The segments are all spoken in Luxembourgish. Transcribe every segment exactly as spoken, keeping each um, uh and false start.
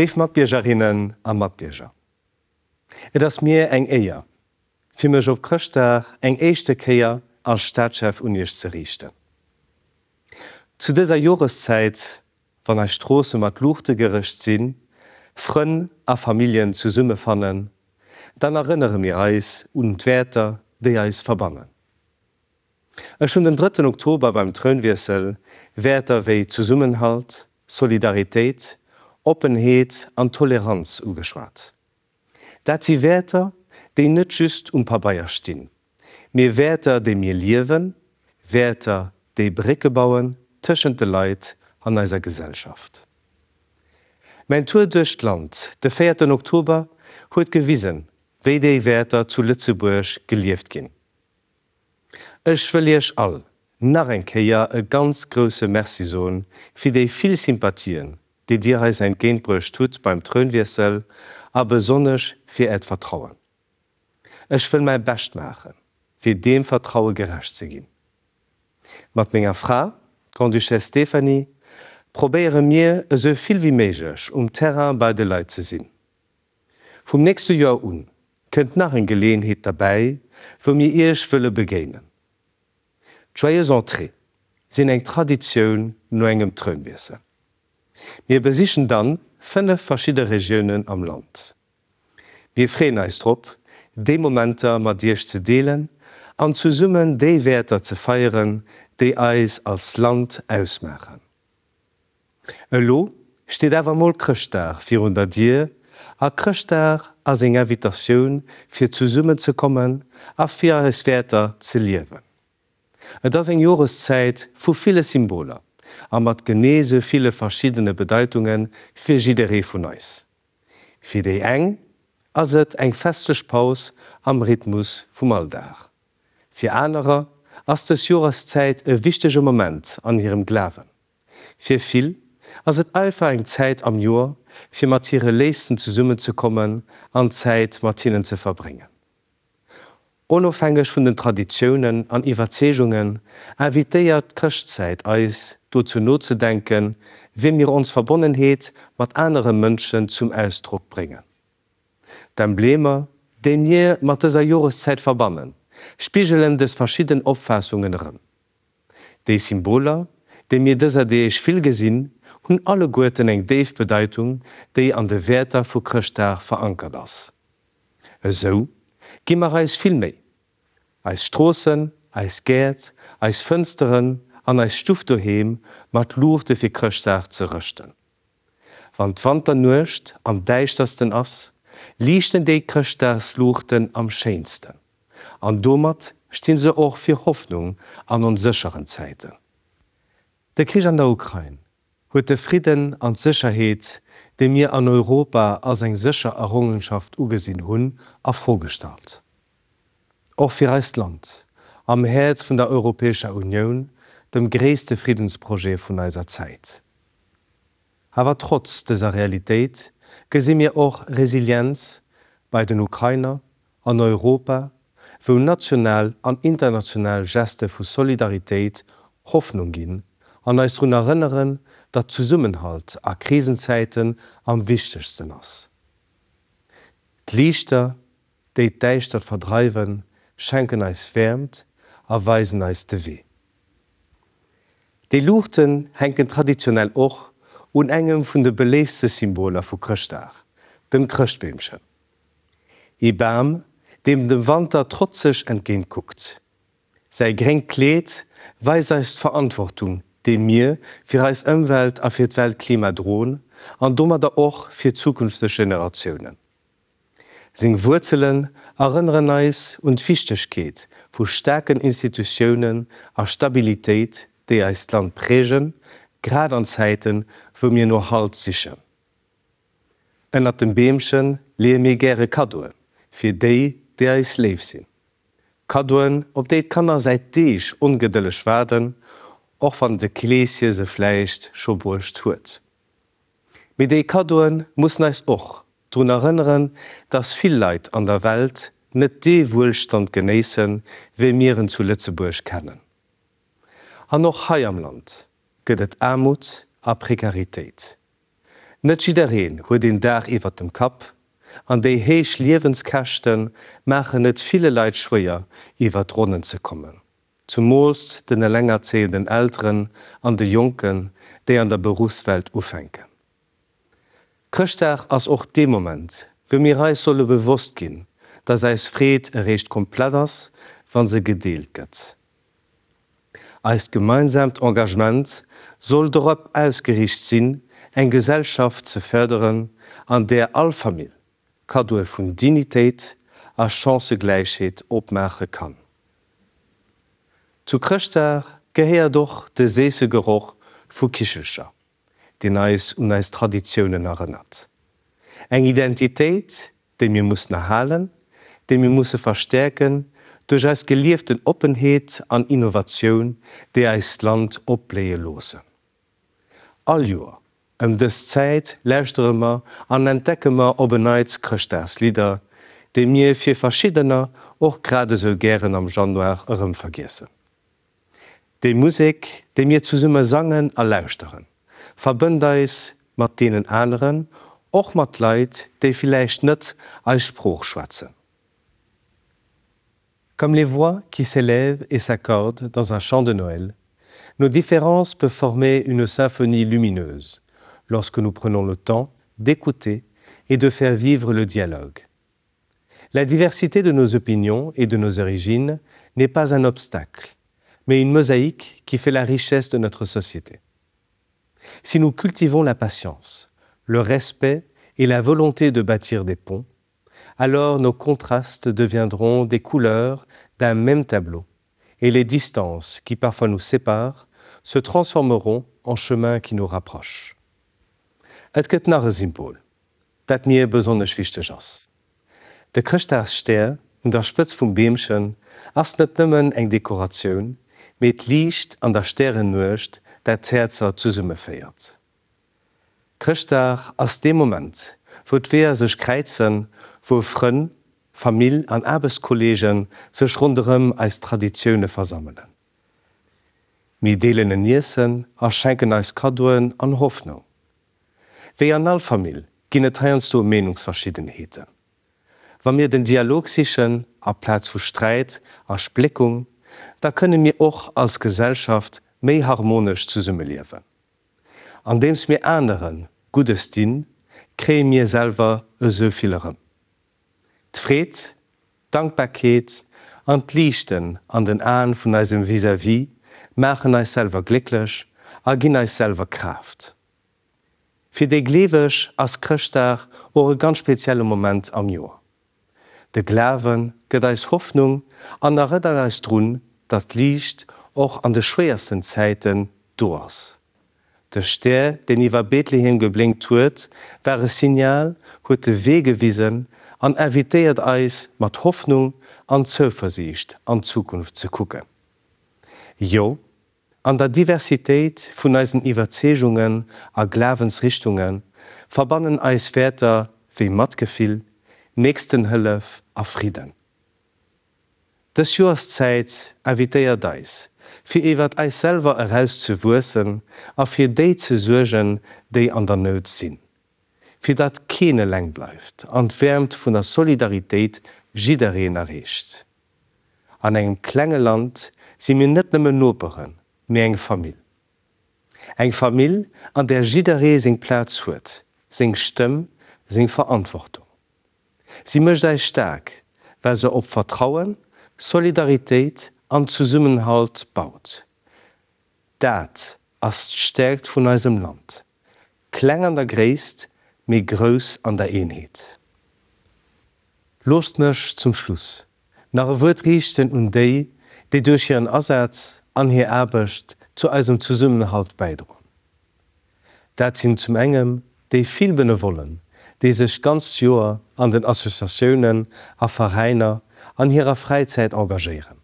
Léif Matbiergerinnen a Matbierger, et ass mir eng Éier, fir mech op Chrëschtdag eng éischte Kéier als Staatschef un Iech ze riichten. Zu dëser Joreszäit, wann eis Stroosse mat Luuchte gerëscht sinn, Frënn a Familljen zesummefannen, dann erënnere mir eis un d'Wäerter, déi eis verbannen. Ech hunn den drëtten Oktober beim Trounwiessel Wäerter wéi Zesummenhalt, Solidaritéit, Oppenheet an Toleranz ugeschwat. Dat si Wäerter, déi net just um Pabeier stinn, mee Wäerter, déi mir liewen, Wäerter, déi Brécke bauen tëschent de Leit an eiser Gesellschaft. Mäin Tour duerch d'Land de véierten Oktober huet gewisen, wéi déi Wäerter zu Lëtzebuerg gelieft ginn. Ech wëll Iech all nach eng Kéier e ganz grousse Merci soen fir déi vill Sympathien, déi Dir eis entgéintbruecht hutt beim Trounwiessel a besonnesch fir Äert Vertrauen. Ech wëll mäi Bescht maachen, fir deem Vertraue gerecht ze ginn. Mat menger Fra, d'Grande-Duchesse Stéphanie, probéiere mir, esou vill wéi méiglech um Terrain bei de Leit ze sinn. Vum nächste Joer un kënnt nach eng Geleeënheet derbäi, wou mir Iech wëlle begéinen. D'Joyeuses Entrées sinn eng Traditioun no engem Trounwiessel. Mir besichen dann fënnef verschidde Regiounen am Land. Mir freeën eis drop, déi Momenter mat Iech ze deelen an zesummen déi Wäerter ze feieren, déi eis als Land ausmaachen. Elo steet awer mol Chrëschtdag virun der Dier a Chrëschtdag ass eng Invitatioun fir zesummen ze kommen a fir eis Wäerter ze liewen. Et ass eng Joreszäit vu ville Symboler a mat genee sou ville verschiddene Bedeitunge fir jidderee vun eis. Fir déi eng ass et eng festlech Paus am Rhythmus vum Alldag. Fir anerer ass dës Joreszäit e wichtege Moment an hirem Glawen. Fir vill ass et einfach eng Zäit am Joer, fir mat hire Léifsten zesummenzekommen an Zäit mat hinnen ze verbréngen. Onofhängeg vun den Traditiounen an Iwwerzeegungen invitéiert d'Chrëschtzäit eis, dozou nozedenken, wéi mir ons Verbonnenheet mat anere Mënschen zum Ausdrock bréngen. D'Emblemer, déi mir mat dëser Joreszäit verbannen, spigelen dës verschidden Opfaassungen erëm. Déi Symboler, déi mir dëser Deeg vill gesinn, hunn alleguerten eng déif Bedeitung, déi an de Wäerter vu Chrëschtdag verankert ass. Esou gi mer eis vill Méi, eis Stroossen, eis Gäert, eis Fënsteren an eis Stuff doheem mat Luuchte fir Chrëschtdag ze rëschten. Wann d'Wanternuecht am däischtersten ass, liichten déi Chrëschtdagsluuchten am schéinsten. An domat sti se och fir Hoffnung an onsécheren Zäiten. De Krich an der Ukrain huet de Fridden an d'Sécherheet, déi mir an Europa als eng sécher Errongenschaft ugesinn hunn, a Fro gestallt. Och fir eist Land, am Häerz vun der Europäescher Unioun, dem gréisste Friddensprojet vun eiser Zäit. Awer trotz dëser Realitéit gesi mir och Resilienz bei den Ukrainer, an Europa, wou national an international Geste vu Solidaritéit Hoffnung ginn an eis drun erënneren, datt Zesummenhalt a Krisenzäiten am wichtegsten ass. D'Liichter, déi d'Däischtert verdreiwen, schenken eis Wäermt a weisen eis de Wee. Déi Luuchten hänken traditionell och un engem vun de beléiftste Symboler vu Chrëschtdag, dem Chrëschtbeemchen. Ee Bam, deem dem Wanter trotzeg entgéint kuckt. Säi gréngt Kleed weist eis d'Verantwortung, déi mir fir eis Ëmwelt a fir d'Weltklima droen, an domadder och fir zukünfteg Generatiounen. Seng Wuerzelen erënneren eis un d'Wichtegkeet vu staarken Institutiounen a Stabilitéit, déi eist Land prägen, grad an Zäiten, wou mir no Halt sichen. Ënnert dem Beemche leeë mir gäre Kaddoe fir déi, déi eis léif sinn. Kaddoen, op déi d'Kanner säit Deeg ongedëlleg waarden, och wann de Kleeschen se vläicht scho bruecht huet. Mee déi Kaddoe mussen eis och drun erënneren, dass vill Leit an der Welt net dee Wuelstand genéissen, wéi mir en zu Lëtzebuerg kennen. An och hei am Land gëtt et Aarmut a Prekaritéit. Net jiddereen huet een Daach iwwert dem Kapp, an déi héich Liewenskäschte maachen et ville Leit schwéier, iwwert d'Ronnen ze kommen, zumools den elengerzéienden Elteren an de Jonken, déi an der Beruffswelt ufänken. Chrëschtdag ass och dee Moment, wou mir eis solle bewosst ginn, dass eis Freed eréischt komplett ass, wa se gedeelt gëtt. Eist gemeinsaamt Engagement soll dorop ausgeriicht sinn, eng Gesellschaft ze fërderen, an där all Famill Kaddoe vun Dignitéit a Chancëgläichheet opmaache kann. Zu Chrëschtdag gehéiert och de séisse Geroch vu Kichelcher, deen eis un eis Traditiounen erënnert. Eng Identitéit, déi mir mussen erhalen, déi mir musse verstäerken duerch eis gelieften Oppenheet an Innovatioun, déi eist Land opbléie loossen. All Joer ëm dës Zäit lauschtere mer an entdecke mer op en Neits Chrëschtdagslidder, déi mir fir verschiddener och grad esou gären am Januar erëm vergiessen. Déi Musek, déi mir zesumme sangen a lauschteren, verbënnt eis mat deenen aneren, och mat Leit, déi villäicht net eis Sprooch schwätzen. Comme les voix qui s'élèvent et s'accordent dans un chant de Noël, nos différences peuvent former une symphonie lumineuse lorsque nous prenons le temps d'écouter et de faire vivre le dialogue. La diversité de nos opinions et de nos origines n'est pas un obstacle, mais une mosaïque qui fait la richesse de notre société. Si nous cultivons la patience, le respect et la volonté de bâtir des ponts, alors nos contrastes deviendront des couleurs d'un même tableau et les distances qui parfois nous séparent se transformeront en chemins qui nous rapprochent. Et gëtt nach e Symbol, dat mir besonnesch wichteg ass. De Chrëschtdagsstär un der Spëtz vum Beemchen ass net nëmmen eng Dekoratioun, mee d'Liicht an der Stärennuecht, dat d'Häerzer zesummeféiert. Chrëschtdag ass dee Moment, wou d'Weeër sech kräizen, wou Frënn, Famill an Aarbechtskolleege sech ronderëm eis Traditioune versammelen. Mir deelen en Iessen a schenken eis Kaddoen an Hoffnung. Wéi an all Famill ginn et heiansdo Meenungsverschiddenheeten. Wa mir den Dialog sichen aplaz vu Sträit a Spléckung, da kënne mir och als Gesellschaft méi harmonesch zesummeliewen. Andeems mir anere Guddes dinn, kréie mir selwer esou vill erëm. D'Freed, d'Dankbarkeet an d'Liichten an den Aen vun eisem Vis-à-vis maachen eis selwer glécklech a ginn eis selwer Kraaft. Fir déi Gleeweg ass Chrëschtdag och e ganz spezielle Moment am Joer. De Glawe gëtt eis Hoffnung an erënnert eis drun, datt d'Liicht och an de schwéiersten Zäiten do ass. De Stär, deen iwwer Bethlehem geblénkt huet, war e Signal, huet de Wee gewisen an invitéiert eis, mat Hoffnung an Zouversiicht an d'Zukunft ze kucken. Jo, an der Diversitéit vun eisen Iwwerzeegungen a Glawensrichtunge verbannen eis Wäerter wéi Matgefill, Nächstenhëllef a Fridden. Dës Joerszäit invitéiert eis, fir iwwert eis selwer eraus ze wuessen a fir déi ze suergen, déi an der Nout sinn. Fir datt keen eleng bleift an d'Wäermt vun der Solidaritéit jiddereen erreecht. An engem klenge Land si mir net nëmmen Noperen, mee eng Famill. Eng Famill, an där jidderee seng Plaz huet, seng Stëmm, seng Verantwortung. Si mécht eis staark, well se op Vertrauen, Solidaritéit an Zesummenhalt baut. Dat ass d'Stäerkt vun eisem Land. Kleng an der Gréisst, mee grouss an der Eenheet. Loosst mech zum Schluss nach e Wuert riichten un déi, déi duerch hiren Asaz an hir Aarbecht zu eisem Zesummenhalt bäidroen. Dat sinn zum engem déi vill Benevollen, déi sech d'ganzt Joer an den Associatiounen a Veräiner an hirer Fräizäit engagéieren.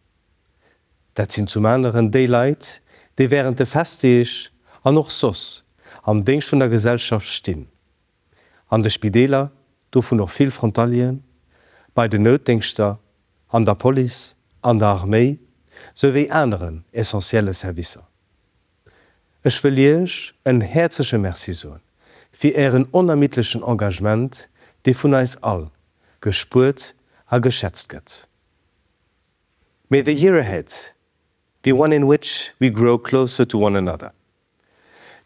Dat sinn zum aneren déi Leit, déi wärend de Festdeeg an och soss am Déngscht vun der Gesellschaft stinn, an de Spideeler, dovun och vill Frontalieren, bei den Noutdéngschter, an der Police, an der Arméi, souwéi aneren essentielle Servicer. Ech wëll Iech en häerzleche Merci soen fir Ären onermiddlechen Engagement, dee vun eis all gespuert a geschätzt gëtt. May the year ahead be one in which we grow closer to one another.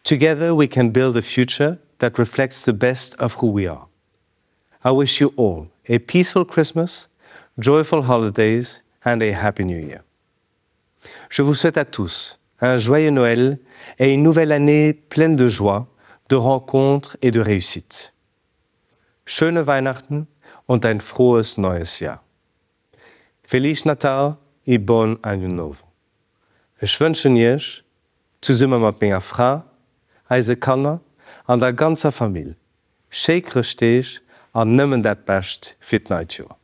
Together we can build a future that reflects the best of who we are. I wish you all a peaceful Christmas, joyful holidays and a happy new year. Je vous souhaite à tous un joyeux Noël et une nouvelle année pleine de joie, de rencontres et de réussite. Schöne Weihnachten und ein frohes neues Jahr. Feliz Natal e bom Ano Novo. Ech wënschen Iech, zesumme mat menger Fra, eise Kanner an der ganzer Famill, schéi Chrëschtdeeg an nëmmen dat Bescht fir d'neit Joer.